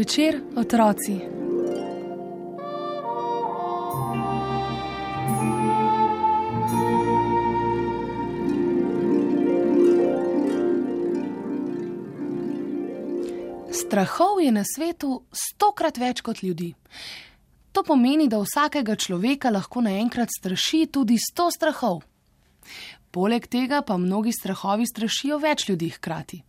Zvečer, otroci. Strahov je na svetu 100-krat več kot ljudi. To pomeni, da vsakega človeka lahko naenkrat straši tudi 100 strahov. Poleg tega pa mnogi strahovi strašijo več ljudi hkrati.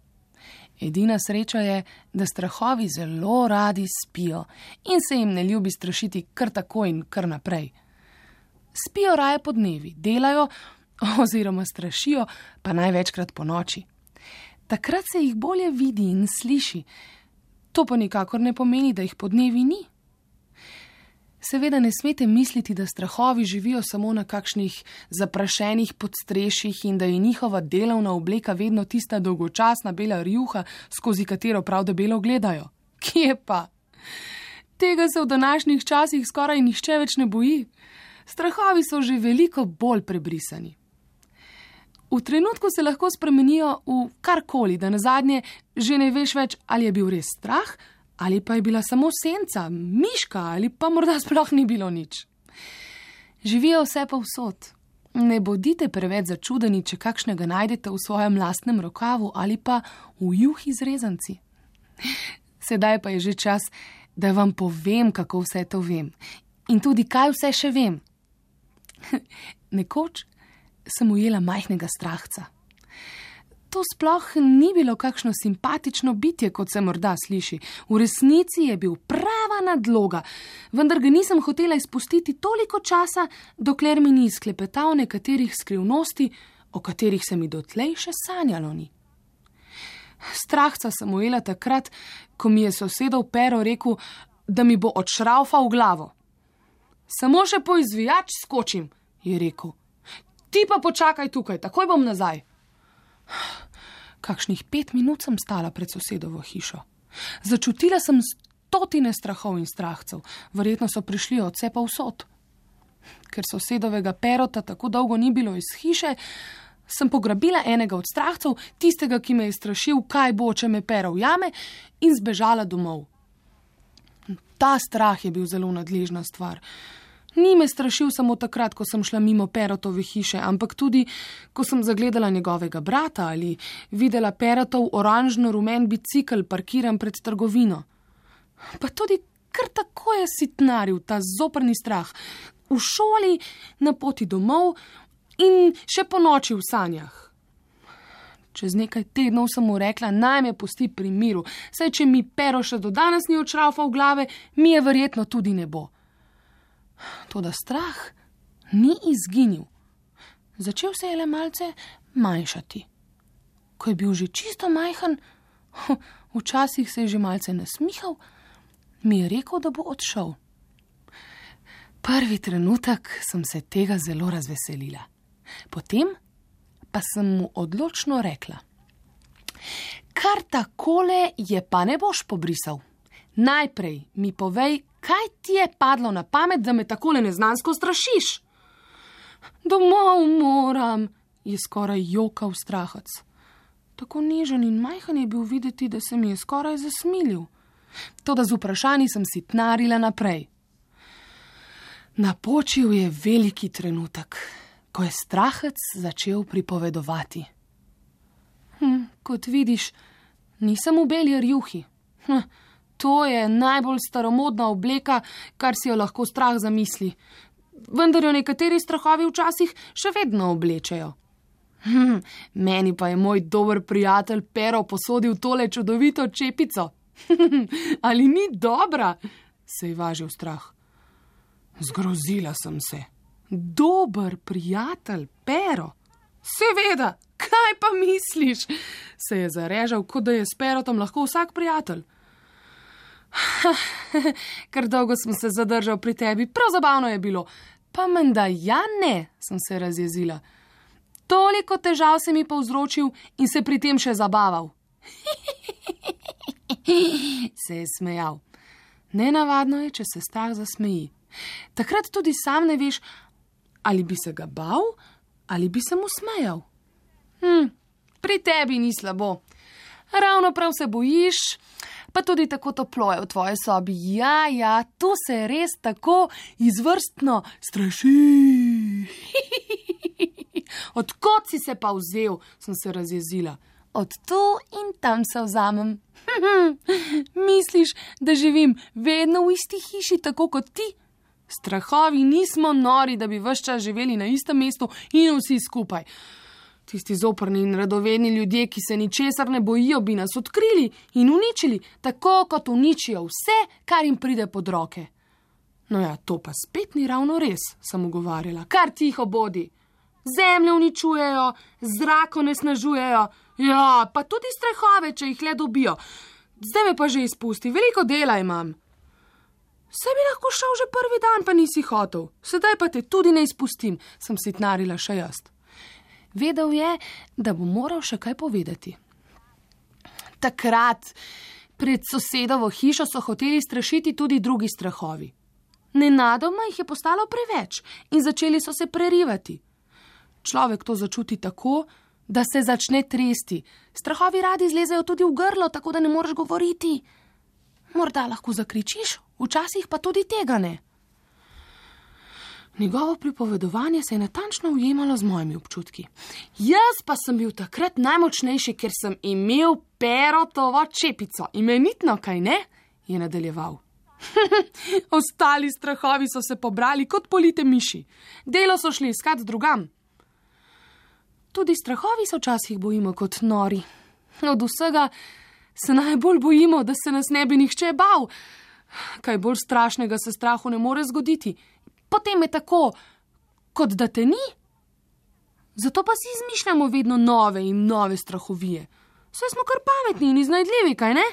Edina sreča je, da strahovi zelo radi spijo in se jim ne ljubi strašiti kar tako in kar naprej. Spijo raje podnevi, delajo oziroma strašijo pa največkrat po noči. Takrat se jih bolje vidi in sliši. To pa nikakor ne pomeni, da jih podnevi ni. Seveda ne smete misliti, da strahovi živijo samo na kakšnih zaprašenih podstrešjih in da je njihova delovna obleka vedno tista dolgočasna bela rjuha, skozi katero prav debelo gledajo. Kje pa? Tega se v današnjih časih skoraj nihče več ne boji. Strahovi so že veliko bolj prebrisani. V trenutku se lahko spremenijo v karkoli, da nazadnje že ne veš več, ali je bil res strah, ali pa je bila samo senca, miška ali pa morda sploh ni bilo nič. Živijo vse povsod. Ne bodite preveč začudeni, če kakšnega najdete v svojem lastnem rokavu ali pa v juhi z rezanci. Sedaj pa je že čas, da vam povem, kako vse to vem. In tudi, kaj vse še vem. Nekoč sem ujela majhnega strahca. To sploh ni bilo kakšno simpatično bitje, kot se morda sliši. V resnici je bil prava nadloga, vendar ga nisem hotela izpustiti toliko časa, dokler mi ni izklepetal nekaterih skrivnosti, o katerih se mi dotlej še sanjalo ni. Strahca sem ujela takrat, ko mi je sosedov Pero rekel, da mi bo odšraufal glavo. Samo še po izvijač skočim, je rekel. Ti pa počakaj tukaj, takoj bom nazaj. Kakšnih 5 minut sem stala pred sosedovo hišo. Začutila sem 100 strahov in strahcev. Verjetno so prišli od vse povsod. Ker sosedovega Perota tako dolgo ni bilo iz hiše, sem pograbila enega od strahcev, tistega, ki me je strašil, kaj bo, če me Pero ujame, in zbežala domov. Ta strah je bil zelo nadležna stvar. Ni me strašil samo takrat, ko sem šla mimo Perotove hiše, ampak tudi, ko sem zagledala njegovega brata ali videla Perotov oranžno-rumen bicikel parkiran pred trgovino. Pa tudi kar tako je sitnaril ta zoprni strah. V šoli, na poti domov in še po noči v sanjah. Čez nekaj tednov sem mu rekla, naj me pusti pri miru, saj če mi Pero še do danes ni odšraufal glave, mi je verjetno tudi ne bo. Toda strah ni izginil. Začel se je le malce manjšati. Ko je bil že čisto majhen, včasih se je že malce nasmihal, mi je rekel, da bo odšel. Prvi trenutek sem se tega zelo razveselila. Potem pa sem mu odločno rekla. Kar takole je pa ne boš pobrisal. Najprej mi povej, kaj ti je padlo na pamet, da me takole neznansko strašiš? Domov moram, je skoraj jokal strahac. Tako nežen in majhen je bil videti, da se mi je skoraj zasmilil. Toda z vprašanji sem sitnarila naprej. Napočil je veliki trenutek, ko je strahac začel pripovedovati. Kot vidiš, nisem v beli rjuhi. To je najbolj staromodna obleka, kar si jo lahko strah zamisli. Vendar jo nekateri strahovi včasih še vedno oblečejo. Meni pa je moj dober prijatelj Pero posodil tole čudovito čepico. Ali ni dobra? Se je važil strah. Zgrozila sem se. Dober prijatelj Pero? Seveda, kaj pa misliš? Se je zarežal, kot da je s Perotom lahko vsak prijatelj. Kar dolgo sem se zadržal pri tebi, prav zabavno je bilo. Pa menda ja ne, sem se razjezila. Toliko težav se mi povzročil in se pri tem še zabaval. Se je smejal. Nenavadno je, če se strah zasmeji. Takrat tudi sam ne veš, ali bi se ga bal, ali bi se mu smejal. Pri tebi ni slabo. Ravno prav se bojiš, Pa tudi tako toplo je v tvoji sobi. Ja, tu se res tako izvrstno straši. Odkot si se pa vzel, sem se razjezila. Od tu in tam se vzamem. Misliš, da živim vedno v isti hiši, tako kot ti? Strahovi nismo nori, da bi ves čas živeli na istem mestu in vsi skupaj. Tisti zoprni in radovedni ljudje, ki se ničesar ne bojijo, bi nas odkrili in uničili, tako kot uničijo vse, kar jim pride pod roke. No ja, to pa spet ni ravno res, sem ugovarjala. Kar tiho bodi. Zemljo uničujejo, zrak onesnažujejo, ja, pa tudi strahove, če jih le dobijo. Zdaj me pa že izpusti, veliko dela imam. Saj bi lahko šel že prvi dan, pa nisi hotel. Sedaj pa te tudi ne izpustim, sem sitnarila še jaz. Vedel je, da bo moral še kaj povedati. Takrat pred sosedovo hišo so hoteli strašiti tudi drugi strahovi. Nenadoma jih je postalo preveč in začeli so se prerivati. Človek to začuti tako, da se začne tresti. Strahovi radi zlezejo tudi v grlo, tako da ne moreš govoriti. Morda lahko zakričiš, včasih pa tudi tega ne. Njegovo pripovedovanje se je natančno ujemalo z mojimi občutki. Jaz pa sem bil takrat najmočnejši, ker sem imel Perotovo čepico. Imenitno, kaj ne? Je nadaljeval. Ostali strahovi so se pobrali kot polite miši. Delo so šli iskat drugam. Tudi strahovi se včasih bojimo kot nori. Od vsega se najbolj bojimo, da se nas ne bi nihče bal. Kaj bolj strašnega se strahu ne more zgoditi. Potem je tako, kot da te ni. Zato pa si izmišljamo vedno nove in nove strahovije. Saj smo kar pametni in iznajdljivi, kaj ne?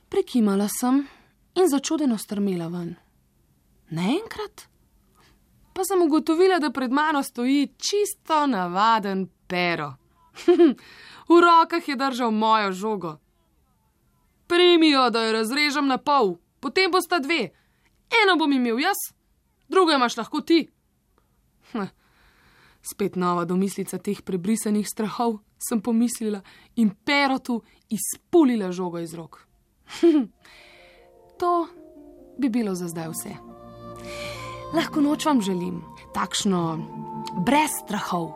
Prekimala sem in začudeno strmela ven. Naenkrat pa sem ugotovila, da pred mano stoji čisto navaden Pero. V rokah je držal mojo žogo. Primi jo, da jo razrežem na pol, potem bosta dve. Eno bom imel jaz, drugo imaš lahko ti. Spet nova domislica teh prebrisanih strahov, sem pomislila in Perotu izpulila žogo iz rok. To bi bilo za zdaj vse. Lahko noč vam želim, takšno brez strahov.